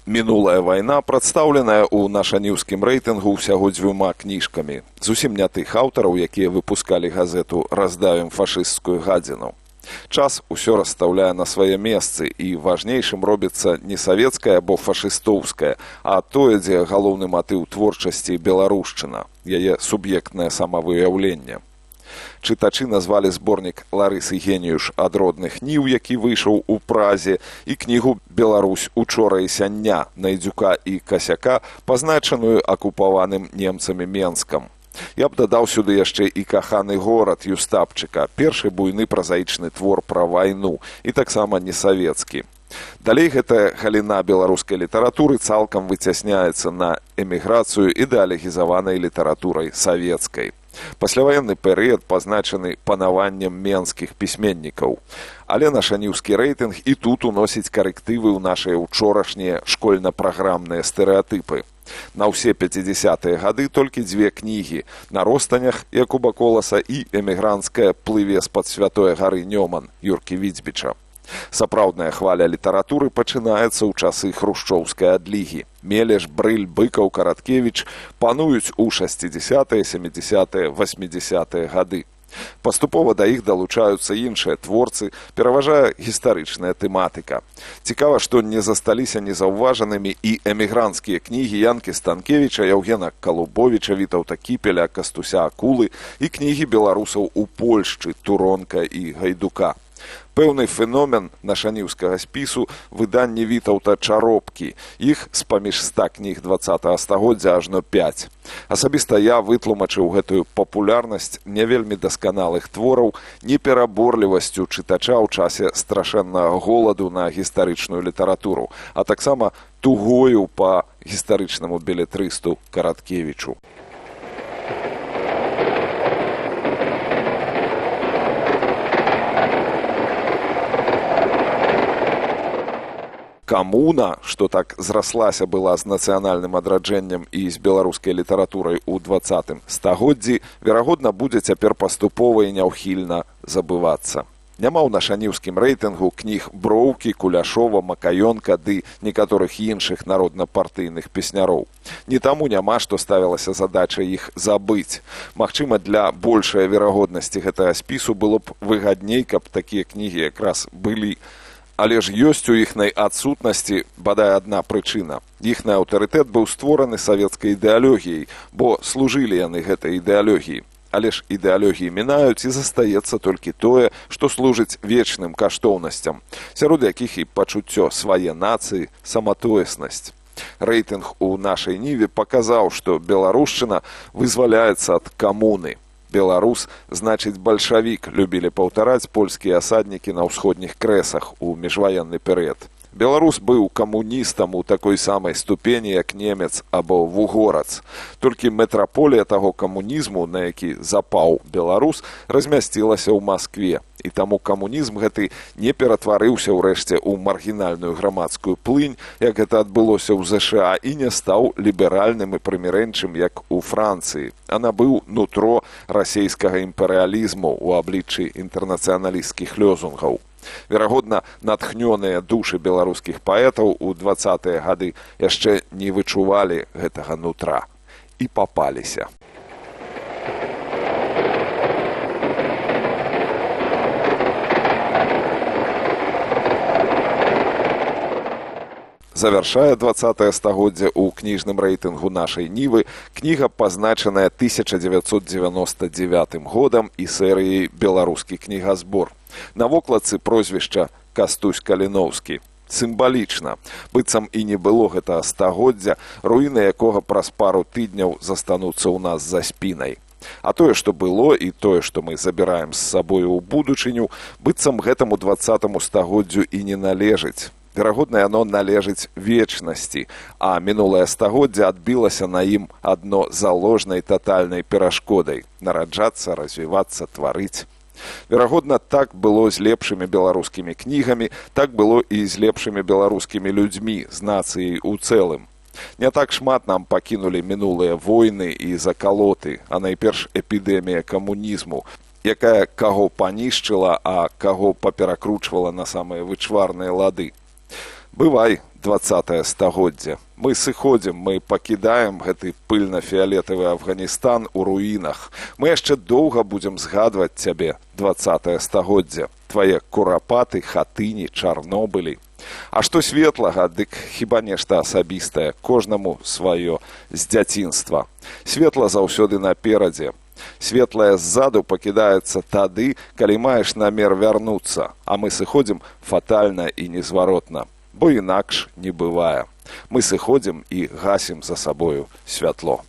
Мінулая вайна прадстаўленая ў нашаніўскім рэйтынгу ўсяго 2 кніжкамі. Зусім не тых аўтараў, якія выпускалі газету «Раздавім фашысцкую гадзіну». Час усё расстаўляе на свае месцы, і важнейшым робіцца не савецкая або фашыстоўская, а тое, дзе галоўны матыў творчасці беларушчына, яе суб'ектнае самавыяўленне. Чытачы назвалі зборнік Ларысы Геніюш «Ад родных ніў», які выйшаў у Празе, і кнігу «Беларусь учора і сяння» Найдзюка і Касяка, пазначаную акупаваным немцамі Менскам. Я б дадаў сюды яшчэ і «Каханы горад» Юстапчыка, першы буйны празаічны твор пра вайну, і таксама несавецкі. Далей гэтая галіна беларускай літаратуры цалкам выцясняецца на эміграцыю ідэалегізаванай літаратурай савецкай. Пасляваенны перыяд пазначаны панаваннем менскіх пісьменнікаў. Але нашаніўскі рэйтынг і тут уносіць карэктывы ў нашыя учорашнія школьна-праграмныя стэрэатыпы. На ўсе 50-е гады толькі 2 кнігі «На ростанях» Якуба Коласа і «Эмігранцкая плыве з-пад святой гары Нёман» Юркі Віцбіча. Сапраўдная хваля літаратуры пачынаецца ў часы хрушчоўскай адлігі. Мелеш, Брыль, Быкаў, Караткевіч пануюць у 60-е, 70-е, 80-е гады. Паступова да іх далучаюцца іншыя творцы, пераважае гістарычная тэматыка. Цікава, што не засталіся незаўважанымі і эмігранцкія кнігі Янкі Станкевіча, Яўгена Калубовіча, Вітаўта Кіпеля, Кастуся Акулы і кнігі беларусаў у Польшчы Туронка і Гайдука. Пэўны феномен нашаніўскага спісу выданні Вітаўта Чаропкі. Іх з-паміж 100 кніг 20-го стагоддзя ажно 5. Асабіста я вытлумачыў гэтую папулярнасць не вельмі дасканалых твораў непераборлівасцю чытача ў часе страшэннага голаду на гістарычную літаратуру, а таксама тугою па гістарычнаму белетрысту Караткевічу. Камуна, што так зраслася была з нацыянальным адраджэннем і з беларускай літаратурай у 20-м стагоддзі, верагодна, будзе цяпер паступова і няўхільна забывацца. Няма ў нашаніўскім рэйтынгу кніг Броўкі, Куляшова, Макаёнка ды некаторых іншых народна-партыйных песняроў. Не таму няма, што ставілася задача іх забыць. Магчыма, для большай верагоднасці гэтага спісу было б выгадней, каб такія кнігі якраз былі. Але ж ёсць у іхнай адсутнасці бадай адна прычына. Іхны аўтарытэт быў створаны савецкай ідэалогіяй, бо служылі яны гэтай ідэалогіі. Але ж ідэалогіі мінаюць і застаецца толькі тое, што служыць вечным каштоўнасцям, сярод якіх і пачуццё свае нацыі, саматоеснасць. Рэйтынг у нашай ніве паказаў, што беларушчына вызваляецца ад камуны. Беларус значыць бальшавік, любілі паўтараць польскія асаднікі на ўсходніх крэсах у міжваенны перыяд. Беларус быў камуністам у такой самай ступені, як немец або вугорац. Толькі метраполія таго камунізму, на які запаў беларус, размясцілася ў Маскве. І таму камунізм гэты не ператварыўся ўрэшце ў маргінальную грамадскую плынь, як гэта адбылося ў ЗША, і не стаў ліберальным і прымірэнчым, як у Францыі, а набыў нутро расейскага імперыялізму ў абліччы інтэрнацыяналісцкіх лёзунгаў. Верагодна, натхнёныя душы беларускіх паэтаў у 20-е гады яшчэ не вычувалі гэтага нутра і папаліся. Завяршае 20-е стагоддзе ў кніжным рэйтынгу нашай нівы кніга, пазначаная 1999 годам і серыяй «Беларускі кнігазбор». На вокладцы прозвішча Кастусь Каліноўскі. Сімвалічна, быццам і не было гэтага стагоддзя, руіны якога праз пару тыдняў застануцца ў нас за спінай. А тое, што было, і тое, што мы забіраем з сабою ў будучыню, быццам гэтаму 20-му стагоддзю і не належыць. Верагодна, яно належыць вечнасці, а мінулае стагоддзе адбілася на ім адно заложнай татальнай перашкодай – нараджацца, развівацца, тварыць. Верагодна, так было з лепшымі беларускімі кнігамі, так было і з лепшымі беларускімі людзьмі, з нацыяй у цэлым. Не так шмат нам пакінулі мінулыя войны і закалоты, а найперш эпідэмія камунізму, якая каго панішчыла, а каго паперакручвала на самыя вычварныя лады. Бывай, 20-е стагоддзе. Мы сыходзім, мы пакідаем гэты пыльна-фіялетавы Афганістан у руінах. Мы яшчэ доўга будзем згадваць цябе, 20-е стагоддзе. Твае курапаты, хатыні, Чарнобылі. А што светлага, дык хіба нешта асабістае, кожнаму сваё з дзяцінства. Светла заўсёды наперадзе. Светлае ззаду пакідаецца тады, калі маеш намер вярнуцца, а мы сыходзім фатальна і незваротна, бо інакш не бывае. Мы сыходзім і гасім за сабою святло.